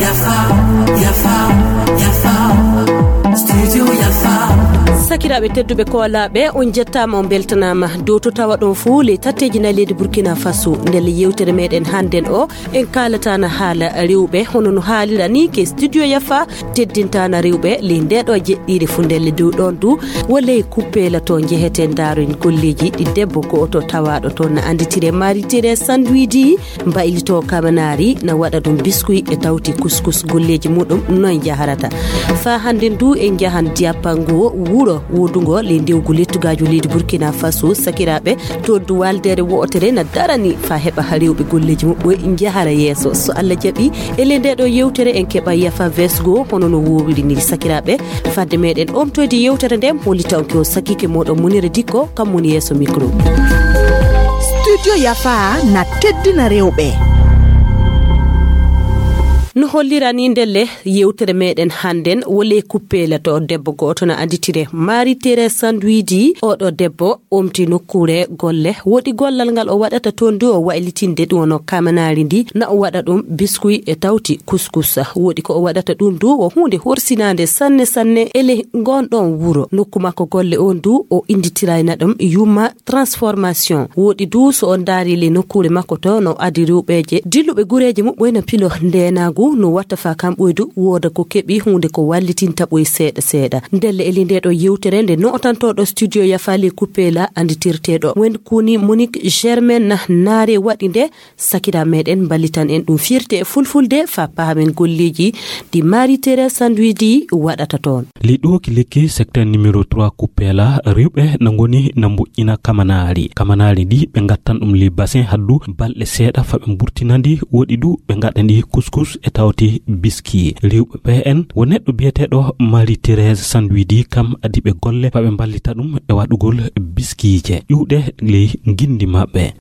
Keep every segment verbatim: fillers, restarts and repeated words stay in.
Yafa, yafa, yafa. Studio Yafa. Sakiraaɓe tedduɓe koolaaɓe, on njettaama, on mbeltanaama. Dow to tawa ɗon fuu, ley tatteeji nayi leydi Burkina Faso, ndelle yewtere meɗen hannden o, en kaalataana haala rewɓe, hono no haalira ni, ke Studio Yafa teddintaana rewɓe ley ndeeɗo jeɗɗiire fuu. Ndelle dow ɗon du, wo ley Kuppeela to njeheten, ndaaroyen golleeji ɗi debbo gooto tawaaɗo toon na annditire Marie Thérèse Sandwidi, mbaylitoo kamanaari, na waɗa ɗum biskuy e tawti kuskus. Golleeji muɗum noy njaharata? Faa hannden du en njahan Diapango, wuro woodungo ley ndewgu lettugaaju leydi Burkina Faso. Sakiraaɓe, to du waaldeere wo'otere na darani faa heɓa rewɓe golleeji muɓɓe njahara yeeso. So Allah jaɓi, e ley ndee ɗoo yewtere en keɓa Yafa Vesgo, hono no woowiri ni. Sakiraaɓe, fadde meɗen omtoyde yewtere nden, hollitanke o sakiike mooɗon Munira Dikko, kam woni yeeso micro. Studio Yafa na teddina rewɓe. No hollira ni ndelle, yewtere meɗen hannden wo ley Kuppeela to debbo gooto na annditire Marie Thérèse Sandwidi. Oɗo debbo omti nokkuure golle. Woodi gollal ngal o waɗata toon du, o waylitinde ɗum wono kamanaari ndi, na o waɗa ɗum biskuy e tawti kuskus. Woodi ko o waɗata ɗum du, wo huunde horsinaande sanne sanne e ley ngon ɗon wuro. Nokku makko golle on du, o innditirayna ɗum Yuma Transformation. Woodi du, so on ndaari ley nokkuure makko to, no adi rewɓeeje dilluɓe gureeje muɓɓoy na pilo ndeenaagu, no watta faa kam ɓoydu wooda ko keɓi huunde ko wallitinta ɓoy seeɗa seeɗa. Ndelle e ley ndee ɗoo yewtere nde nootantooɗo Studio Yafa ley Kuppeela annditirteeɗo wen kuni Monique Germaine Naare waɗi nde, sakira meɗen mballitan en ɗum firti e fulfulde faa paamen golleeji ɗi Marie Thérèse Sandwidi waɗata toon. Ley ɗoo ki lekki secteur numéro trois Kuppeela, rewɓe na ngoni na mboƴƴina kamanaari. Kamanaari ndi ɓe ngattan ɗum ley basin haddu balɗe seeɗa faa ɓe mburtina ndi, woodi du ɓe ngaɗa ndi kuskus e tawti biski. Rewɓe ɓe en wo neɗɗo biyeteeɗo Marie Thérèse Sandwidi, kam adi ɓe golle faa ɓe mballita ɗum e waɗugol biskiije ƴuuɗe ley nginndi maɓɓe.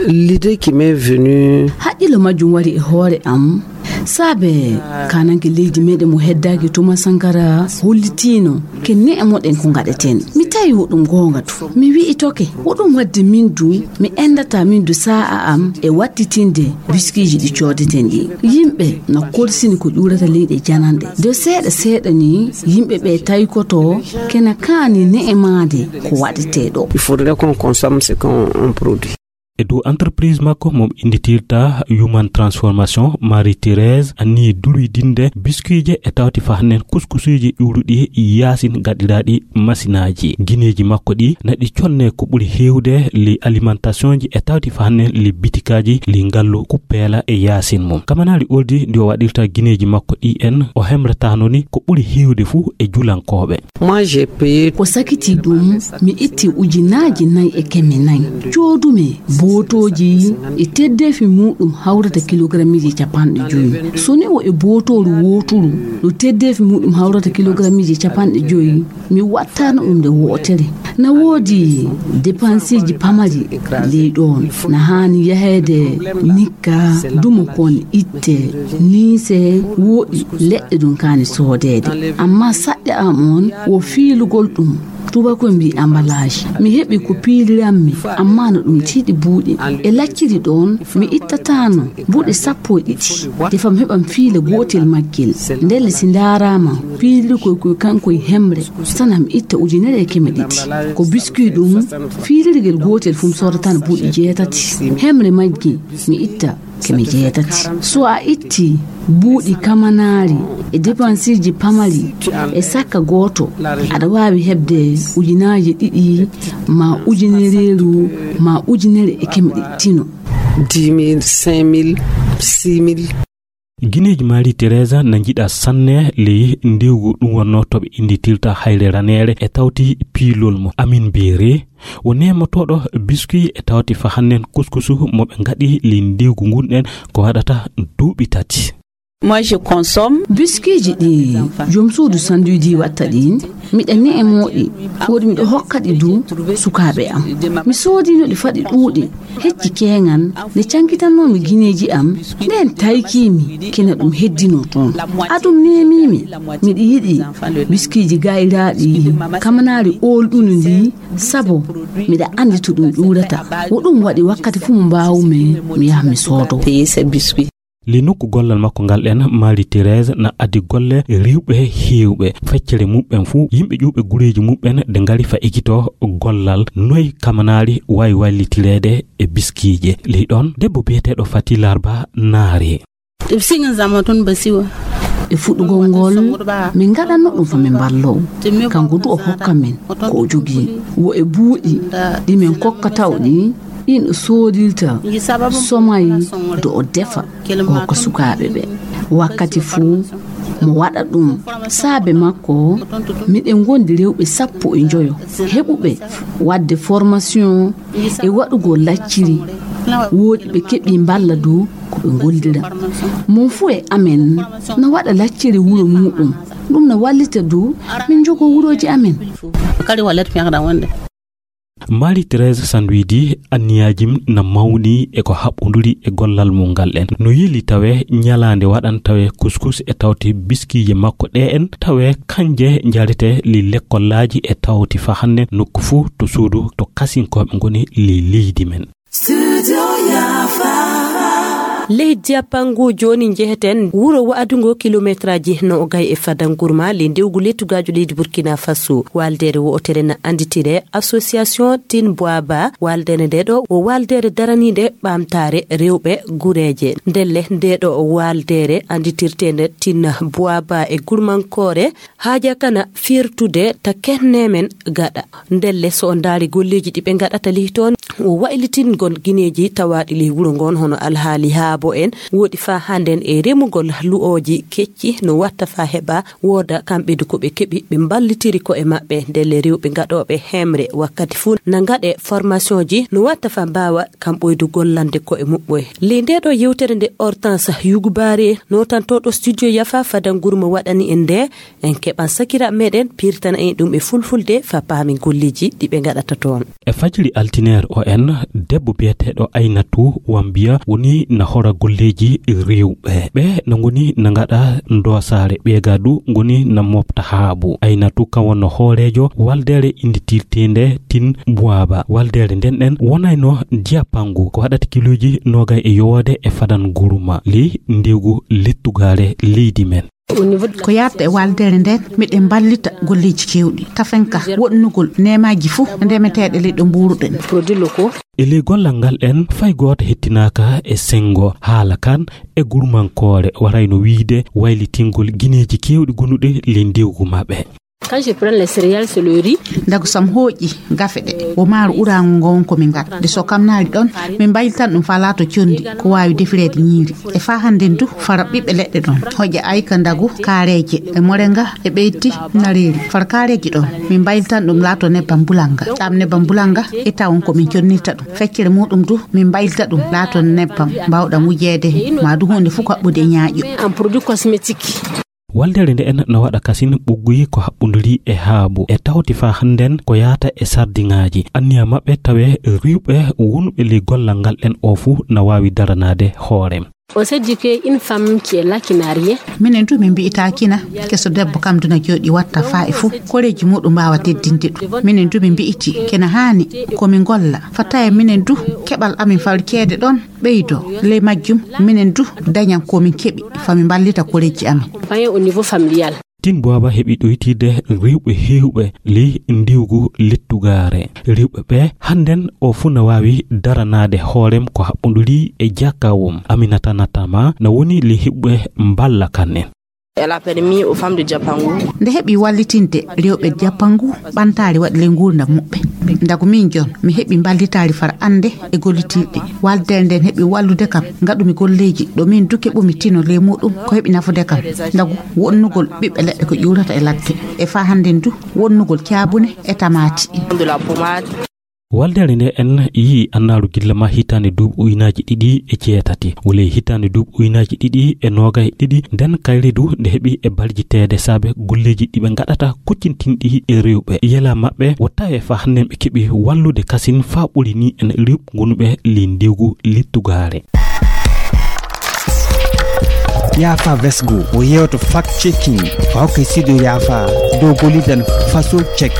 L'idée qui m'est venue. Haqqillo majjum wari e hoore am, saabe kaananke leydi meɗen mo heddaaki Thomas Sankara hollitiino ke ne'e moɗen ko ngaɗeten. Mi tawi wo ɗum goonga to. Mi wi'i toke, wo ɗum waɗde min du, mi enndata min du saa'a am e wattitinde biskiiji ɗi coodeten ɗi. Yimɓe na kolsini ko ƴuurata leyɗe jananɗe. De seeɗa seeɗa ni, yimɓe ɓe taykoto kena kaani ne'e maade ko waɗetee ɗo. Il faudrait qu'on consomme ce qu'on on produit. E dow entreprise makko mo innditirta Human Transformation, Marie Thérèse anniyii duroydinde biskuuje e tawti faa hannen kuskusuuji ƴuuruɗi yaasin gaɗiraaɗi masinaaji. Gineeji makko ɗi na ɗi conne ko ɓuri heewde ley alimentation ji e tawti faa hannen ley bitikaaji ley ngallu Kuppeela e yaasin mum. Kamanaari oldi ndi o waɗirta gineeji makko ɗi en, o hemrataano ni ko ɓuri heewde fuu e julankooɓe. Moi, j'ai payé. Ko sakiti ɗum, mi itti ujunaaji nayi e keme nayi. Coodumi bootooji e teddeefi muɗum hawrata kilogrammiiji capanɗe joyi. So ni o e bootooru wooturu no teddeefi muɗum hawrata kilogrammiiji capanɗe joyi, mi wattano ɗum nde wootere. Na woodi depansiiji pamari ley ɗoon. Na haani yaheede nikka, dumo kon itte, niise, woɗi leɗɗe ɗum kaani soodeede. Amma saɗɗe am on wo fiilugol ɗum. Tubakoy mbii emballage. Mi heɓi ko piiliranmi, amma no ɗum tiiɗi buuɗi. E lacciri ɗoon, mi ittataano buuɗi sappo e ɗiɗi. Defam heɓam fiila gootel maggel. Ndelle si ndaaraama, piilirkoy koy kankoy hemre, sana mi itta ujunere e keme ɗiɗi. Ko biskuy ɗum, fiilirgel gootel fum soodataano buuɗi jeetati. Hemre majji, mi itta keme jeetati. So a itti buuɗi kamanaari e depansiiji pamari e sakka gooto, aɗa waawi heɓde ujunaaji ɗiɗi ma ujunereeru ma ujunere e keme ɗiɗi tino. Dix mille, cinq mille, six mille. Gineeji Marie Thérèse na njiɗa sanne ley ndewgu ɗum wonnoo to ɓe innditirta hayre raneere e tawti piilol mo. Amin Beere wo neemotooɗo biskuy e tawti faa hannen kuskusu mo ɓe ngaɗi ley ndewgu ngun ɗen ko waɗata duuɓi tati. Moi, je consomme. Biskiiji ɗi joom suudu Sanduidi watta ɗin, miɗa ne'emoo ɗi, woodi miɗo hokka ɗi du sukaaɓe am. Mi soodino ɗi faɗi ɗuuɗi, hecci keeŋan, nde cankitannoomi gineeji am, ndeen taykiimi, kena ɗum heddinoo toon. Adum neemiimi, miɗa yiɗi biskiiji gayraaɗi, kamanaari oolɗuni ndi, sabo miɗa anndi to ɗum ƴuurata. Wo ɗum waɗi wakkati fuu mo mbaawumi, mi yaha mi soodoo. Payer ces biscuits. Ley nokku gollal makko ngal ɗen, Marie Thérèse na addi golle rewɓe heewɓe. Feccere muɓɓen fuu, yimɓe ƴuwɓe gureeji muɓɓen de ngari fa ekitoo gollal. Noy kamanaari waawi wallitireede e biskiije? Ley ɗon, debbo biyeteeɗo Fati Larba naari. Ɗum siŋa zama toon ba siwa. E fuɗɗugol ngol, min ngaɗanno ɗum fa min mballoo. Kanko du o hokka min ko o jogii. Wo e buuɗi ɗi min kokka taw ɗi, ɗin o soodirta, somay, do o defa, o hokka sukaaɓe ɓe. Wakkati fuu, mo waɗa ɗum. Saabe makko, miɗen ngondi rewɓe sappo e njoyo heɓuɓe waɗde formation e waɗugol lacciri. Woodi ɓe keɓi mballa du ko ɓe ngollira. Mon fuu e amen na waɗa lacciri wuro muuɗum. Ɗum na wallita du min njogoo wurooji amen. Kadi wallet fiyaŋ ɗan wonde. Marie Thérèse Sanduidi, anniyaaji na mawni e ko haɓɓunduri e gollal mum ngal ɗen. No yeli tawe ñalaande waɗan tawe kuskus e tawti biskiije makko ɗe en, tawe kanje njarete li lekkollaaji e tawti fa hannde nokku fuu to suudu to kasinkooɓe ngoni li leydi men. Studio Yafa. Leydi Japangu jooni njeheten wuro wa'adungo kilometraaji noogay e fadangurma ley ndewgu lettugaajo leydi Burkina Faso. Waaldeere wo'otere na annditire Association Tin Bwaba. Waaldeere nde ɗo wo waaldeere daraniinde ɓamtaare rewɓe gureeje. Ndelle nde ɗo waaldeere annditirteende Tin Bwaba e gurmankoore haaja kana firtude ta kenne men gaɗa. Ndelle so o ndaari golleeji ɗi ɓe ngaɗata ley toon, o waylitingol gineeji tawaaɗi ley wuro ngon, hono alhaali haabo en, woodi faa hannden e remugol lu'ooji kecci, no watta faa heɓa wooda kamɓe du ko ɓe keɓi, ɓe mballitiri ko'e maɓɓe. Ndelle rewɓe ngaɗooɓe hemre wakkati fuu na ngaɗe formationji, no watta faa mbaawa kam ɓoydu gollande ko'e muɓɓoye. Ley ndee ɗo yewtere nde Hortense Yugubaare, nootantooɗo studio Yafa fadangurma waɗani en nde, en keɓan sakiraaɓe meɗen pirtana en ɗum e fulfulde faa paamen golleeji ɗi ɓe ngaɗata toon. E fajiri altineer o en, debbo biyeteeɗo Aynatu Wambiya woni na hora golleeji rewɓe. Ɓe na ngoni na ngaɗa ndoosaare, ɓeega du ngoni na mofta haabu. Aynatu kan wonno hooreejo waldeere innditirteende Tin Bwaba. Waldeere nden ɗen wonayno Diapangu ko waɗata kilooji noogay e yowoode e fadan guruma ley ndewgu lettugaare leydi men. Ko yaadata e waaldeere nden, miɗen mballita golleeji keewɗi. Tafen ka woɗnugol neemaaji fuu ndemeteeɗe ley ɗo mbuuruɗen. E ley gollal ngal en, fay gooto hettinaaka e senngo haala kan e gurmankoore, warayno wiyde waylitingol gineeji keewɗi gonuɗi ley ndewgu maɓɓe. Quand je prends les céréales, c'est le riz. Ndagu sam hooƴi gafe ɗe, wo maaru uraango ngon ko min ngaɗa. Nde so kam naali ɗon, min mbaylitan ɗum faa laato conndi, ko waawi defireede ñiiri. E faa hannden du, fara ɓiɓɓe leɗɗe ɗon. Hoƴa ayka ndagu, kaareeje, e morenga, e ɓeyti, nareeri. Fara kaareeji ɗon, min mbaylitan ɗum laato nebbam bulanga. Ɗam nebbam bulanga, e tawon ko min connirta ɗum. Feccere muuɗum du, min mbaylita ɗum laato nebbam, mbaawɗam wujeede, maa du huunde fuu ko haɓɓude e ñaaƴo. Un produit cosmétique. Waldeere nde en na waɗa kasin ɓugguyi ko haɓɓunduri e haabu, e tawti faa hannden ko yaata e sardiŋaaji. Anniya maɓɓe tawe riwɓe wonɓe ley gollal ngal en o fuu na waawi daranaade hoore. On s'est dit que une femme qui est là, qui n'a rien. Minen du min mbi'itaa kina, keso debbo kam du na jooɗi watta faa e fuu, koreeji muuɗum mbaawa teddinde ɗum. Minen du min mbi'iti kina haani ko min ngolla, faa tawe minen du keɓal amin fawri ceede ɗon ɓeydoo. Ley majjum, minen du dañan ko min keɓi, faa min mballita koreeji amin. Moyen au niveau familial. Tin Bwaba heɓi ɗoytiide rewɓe heewɓe ley ndiwgu lettugaare. Rewɓe ɓe hannden o fuu na waawi daranaade hoorem ko haɓɓunduri e jakawum. Aminata Natama na woni ley heɓuɓe mballa kan en. Elle a permis aux femmes de Diapangu. Nde heɓi wallitinde rewɓe Diapangu ɓantaari waɗi ley nguurndam muɓɓe. Ndagu min jon, mi heɓi mballitaari far annde e gollitirɗi. Waldeere nden heɓi wallude kam, ngaɗumi golleeji ɗo min du keɓumi tino ley muuɗum ko heɓi nafude kam. Ndagu wonnugol ɓiɓɓe leɗɗe ko ƴuurata e ladde. E faa hannden du wonnugol caabune e tamaati. De la pommade. Waldere nde en yii annaaru gilla ma hitaande duuɓi uynaaji ɗiɗi e jeetati. Wole hitaande duuɓi uynaaji ɗiɗi e noogay e ɗiɗi, nden kayre du nde heɓi e baljiteede saabe golleeji ɗi ɓe ngaɗata kuccintinɗi e rewɓe. Yela maɓɓe wo tawe fa hannde ɓe keɓi wallude kasin fa ɓuri ni en rewɓe gonuɓe ley ndewgu lettugaare. Yaafa Vesgo o yewto fact checking fa hokke sido yaafa dow gollidan faso check.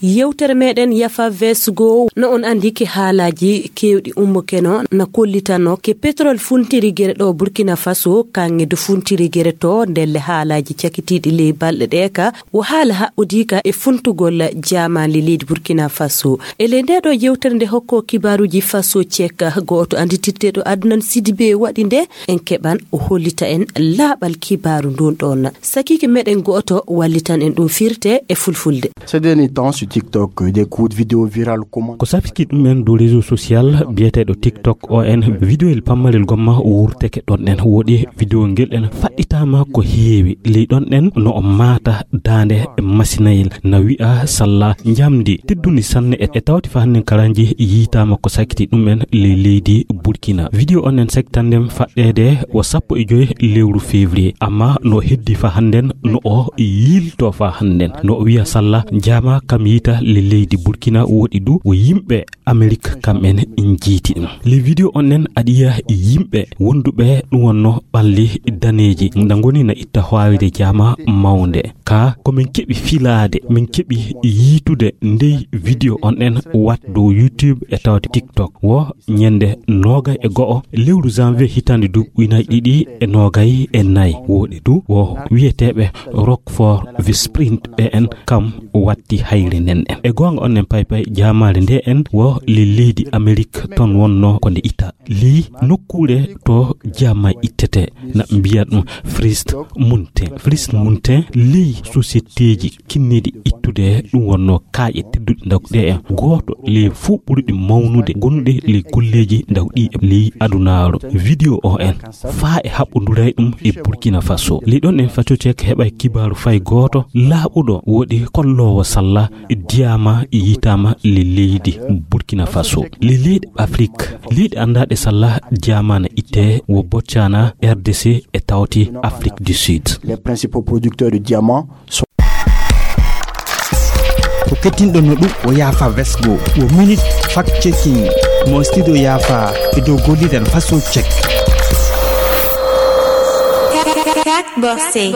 Yewtere meɗen Yafa Vesgo, no on andi ke haalaji kewɗi ummokeno na kollitano ke pétrole funtiri gere ɗo Burkina Faso, kanŋe du funtiri gere to ndelle haalaji cakitiɗi ley balɗe ɗe ka wo haala haɓɓodiika e funtugol jaamaali leydi Burkina Faso. E ley nde ɗo yewtere nde hokko kibaaruji faso cek, gooto anditirteɗo Adnan Sidibe waɗi nde, en keɓan o hollita en laaɓal kibaaru ndun ɗon. Sakiike meɗen gooto wallitan en ɗum firte e fulfulde. Ces derniers temps sur TikTok, des courtes vidéos virales comment. Ko safiti ɗum en dow réseau social biyeteeɗo TikTok o en, vidéo el pammarel gomma wurteke ɗon en. Woɗi vidéo ngel en faɗɗitaama ko heewi. Ley ɗon en no o maata daande masinayel, na wi'a salla njamndi tedduni sanne e, e tawti fa hannde karanji yiitaama ko sakiti ɗum en ley leydi Burkina. Vidéo on en saktandem faɗɗeede o sappo e joy lewru février, amma no heddi fa hannden no o yiilto fa hannden, no o wiya salla jaama kam yiita le leydi Burkina woɗi du o yimɓe Amerik kam en jiiti ɗum. Le vidéo on en aɗiya yimɓe wonduɓe ɗum wonno ɓalli daneeji nda ngoni na itta hoawide jaama mawnde. Ka ko min keɓi filaade, min keɓi yiitude ndey vidéo on en wat dow YouTube e tawde TikTok. Wo ñande noogay e go'o lewru janvier hitaande duuɓi ujunaaji ɗiɗi e noogay e nayi. Woɗi du wo wiyeteeɓe Rockford Visprint ɓe en kam watti hayre nden en. E goonga on en paypay jaamaare nde en wo le leydi Amerik ton wonno ko nde itta. Ley nokkuure to jaama ittete na mbiya ɗum Frist Mountain. Frist Mountain ley sociétéji kinniɗi ittude ɗum wonno kaaƴe tedduɗe ndaw ɗe en. Gooto ley fuu ɓuruɗi mawnude gonuɗe ley golleeji ndaw ɗi ley adunaaru. Vidéo o en faa e haɓɓonduray ɗum e Burkina Faso. Ley ɗon en Faso Cek heɓay kibaaru fay gooto laaɓuɗo woɗi kolloowo salla diyaama yiitaama le leydi Burkina Faso. Le leyɗe Afrik, leyɗe anndaaɗe salla diyaama na itte wo Botswana, R D C e tawti Afrique du Sud. Les principaux producteurs de diamants sont. Ko kettinɗon no ɗum o yaafa vesgo wo minute fact checking mo studio yaafa e dow gollidan faso check. Cat Bossé.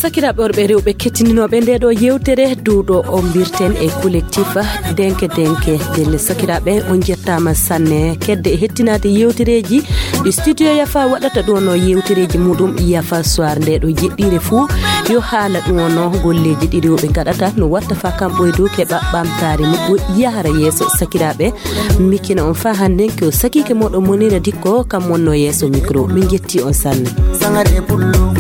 Sakiraaɓe worɓe e rewɓe kettininooɓe nde ɗo yewtere duuɗo o mbirten e collectif denke denke. Ndelle sakiraaɓe on jettaama sanne kedde e hettinaade yewtereeji ɗi studio yafa waɗata ɗo no yewtereeji muɗum yafa soir nde ɗo jeɗɗire fuu yo haala ɗum o no golleeji ɗi rewɓe ngaɗata no watta fa kam ɓoydu keɓa ɓamtaare muɓɓo yahara yeeso. Sakiraaɓe mikkina on fa hannden ko sakiike moɗon monira dikko kam wonno yeeso micro. Min jetti on sanne. Sangare pullo.